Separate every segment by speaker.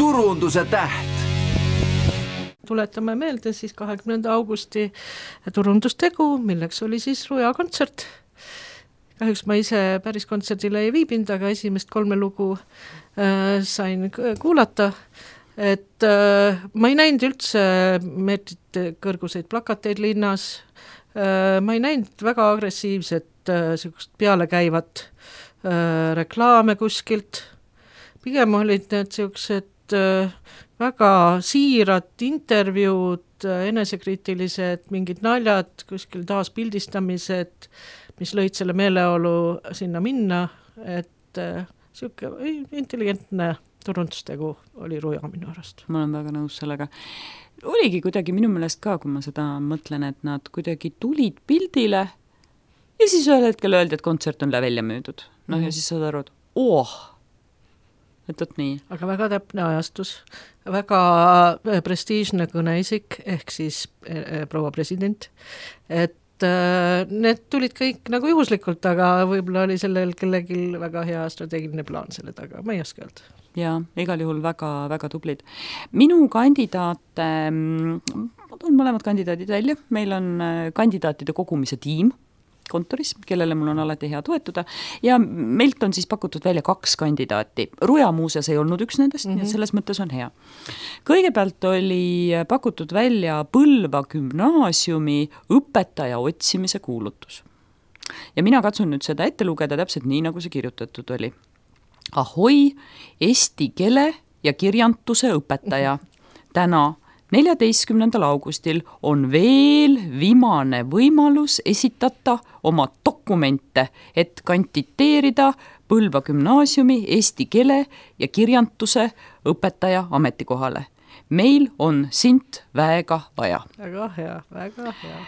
Speaker 1: turunduse täht.
Speaker 2: Tuletame meelde siis 20. augusti turundustegu, milleks oli siis Ruja kontsert. Kahjuks ma ise päris kontserdile ei viibinud, aga esimest 3 lugu sain kuulata. Et ma ei näinud üldse meetrit kõrguseid plakateid linnas, ma ei näinud väga agressiivset pealekäivat reklaame kuskilt, pigem olid need sellised väga siirad intervjuud, enesekriitilised, mingid naljad, kuskil taas pildistamised, mis lõid selle meeleolu sinna minna, et selline intelligentne turundustegu oli Ruja minu arust.
Speaker 3: Ma olen väga nõus sellega. Oligi kuidagi minu meelest ka, kui ma seda mõtlen, et nad kuidagi tulid pildile ja siis ühel hetkel öeldi, et kontsert on välja müüdud. Ja siis saad aru, et et nii.
Speaker 2: Aga väga täpne ajastus, väga prestiižne kõneisik, ehk siis proua president, et need tulid kõik nagu juhuslikult, aga võib-olla oli sellel kellelgi väga hea strateegiline plaan selle taga, ma ei oska öelda.
Speaker 3: Ja igal juhul väga, väga tublid. Minu kandidaate, ma toon mõlemad kandidaadid välja, meil on kandidaatide kogumise tiim kontoris, kellele mul on alati hea toetuda ja meilt on siis pakutud välja 2 kandidaati. Ruja muuseas ei olnud üks nendest, nii et selles mõttes on hea. Kõigepealt oli pakutud välja Põlva gümnaasiumi õpetaja otsimise kuulutus. Ja mina katsun nüüd seda ette lugeda täpselt nii, nagu see kirjutatud oli. Ahoi, eesti keele ja kirjantuse õpetaja. Täna 14. augustil on veel viimane võimalus esitata oma dokumente, et kanditeerida Põlva gümnaasiumi eesti keele ja kirjantuse õpetaja ametikohale. Meil on sind väga vaja.
Speaker 2: Väga hea, väga hea.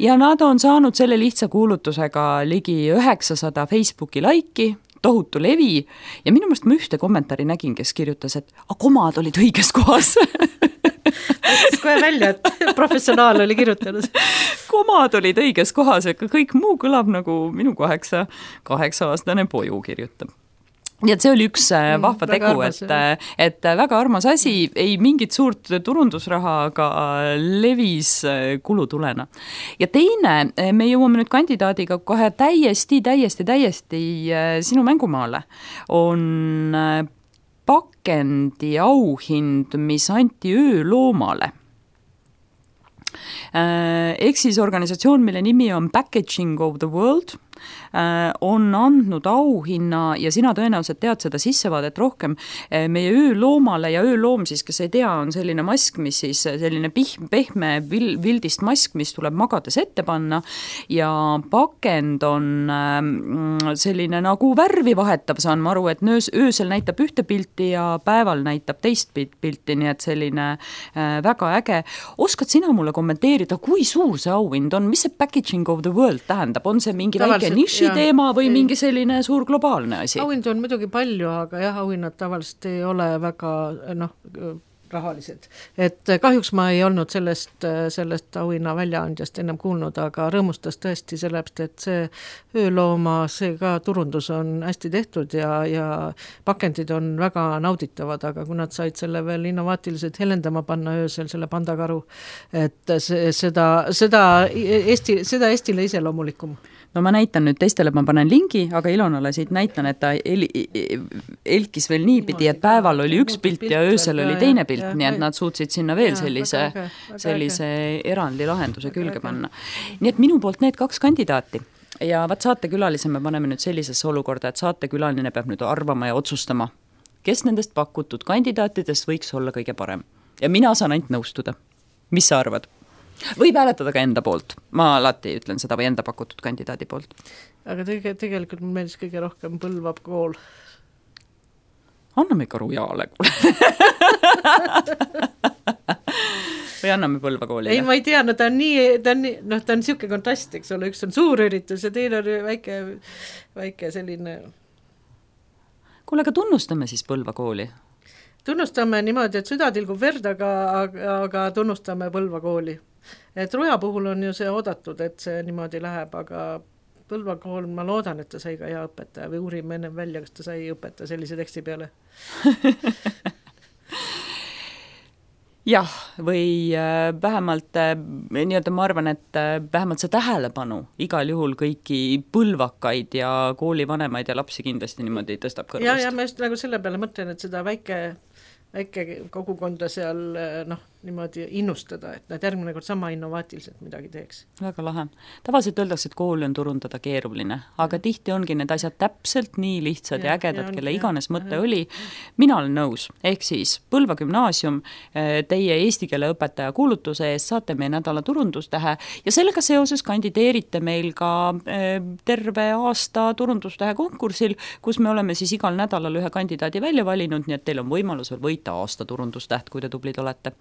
Speaker 3: Ja nad on saanud selle lihtsa kuulutusega ligi 900 Facebooki laiki, tohutu levi ja minu meelest ma ühte kommentaari nägin, kes kirjutas, et komad olid õiges kohas.
Speaker 2: Kohe välja, et professionaal oli kirjutanud.
Speaker 3: Komad olid õiges kohas, aga kõik muu kõlab nagu minu 8-aastane poju kirjutab. Nii et see oli üks vahva tegu, et väga armas asi, ei mingit suurt turundusraha, aga levis kulutulena. Ja teine, me jõuame nüüd kandidaadiga kohe täiesti sinu mängumaale, on pakendi auhind, mis anti ööloomale. Ehk siis organisatsioon, mille nimi on Packaging of the World, on andnud auhinna ja sina tõenäoliselt tead seda sissevaadet rohkem meie ööloomale ja ööloom siis, kes ei tea, on selline mask, mis siis selline pehme vildist mask, mis tuleb magades ette panna ja pakend on selline nagu värvi vahetav, saan ma aru, et öösel näitab ühte pilti ja päeval näitab teist pilti, nii et selline väga äge. Oskad sina mulle kommenteerida, kui suur see auhind on, mis see Packaging of the World tähendab, on see mingi väike niši teema või mingi selline suur globaalne asi?
Speaker 2: Auhind on muidugi palju, aga jah, auhinnad tavaliselt ei ole väga rahalised. Et kahjuks ma ei olnud sellest auhinna väljaandjast ennem kuulnud, aga rõõmustas tõesti sellepärast, et see öölooma, see ka turundus on hästi tehtud ja pakendid on väga nauditavad, aga kui nad said selle veel innovaatiliselt helendama panna öösel, selle pandakaru, et seda Eestile iseloomulikum.
Speaker 3: No ma näitan nüüd teistele, ma panen lingi, aga Ilonale siit näitan, et ta elkis veel niipidi, et päeval oli üks pilt ja öösel oli teine pilt, nii et nad suutsid sinna veel sellise erandi lahenduse külge panna. Nii et minu poolt need 2 kandidaati. Ja saatekülalise me paneme nüüd sellisesse olukorda, et saatekülaline peab nüüd arvama ja otsustama, kes nendest pakutud kandidaatidest võiks olla kõige parem. Ja mina saan ainult nõustuda. Mis sa arvad? Võib hääletada ka enda poolt. Ma alati ütlen seda või enda pakutud kandidaadi poolt.
Speaker 2: Aga tegelikult mul meeldis kõige rohkem Põlva kool.
Speaker 3: Anname ka Rujale. Või anname Põlva koolile?
Speaker 2: Ei, ma ei tea, ta on siuke kontrast, eks ole, üks on suur üritus ja teine on väike selline.
Speaker 3: Kuule, aga tunnustame siis Põlva kooli.
Speaker 2: Tunnustame niimoodi, et süda tilgub verd, aga tunnustame Põlva kooli. Et Ruja puhul on ju see oodatud, et see niimoodi läheb, aga Põlva kool, ma loodan, et ta sai ka hea õpetaja või uurime ennem välja, kas ta sai õpetaja sellise teksti peale.
Speaker 3: jah, või vähemalt nii-öelda ma arvan, et vähemalt see tähelepanu igal juhul kõiki põlvakaid ja koolivanemaid ja lapsi kindlasti niimoodi tõstab kõrvust.
Speaker 2: ja ma just nagu selle peale mõtlen, et seda väike kogukonda seal niimoodi innustada, et nad järgmine kord sama innovaatiliselt midagi teeks.
Speaker 3: Väga lahe. Tavaliselt öeldakse, et kooli on turundada keeruline, aga tihti ongi need asjad täpselt nii lihtsad ja ägedad, kelle iganes mõte oli. Mina olen nõus, ehk siis Põlva gümnaasium, teie eesti keele õpetaja kuulutuse eest saate meie nädala turundustähe ja sellega seoses kandideerite meil ka terve aasta turundustähe konkursil, kus me oleme siis igal nädalal ühe kandidaadi välja valinud, nii et teil on võimalus veel võita aasta turundustäht, kui te tublid olete.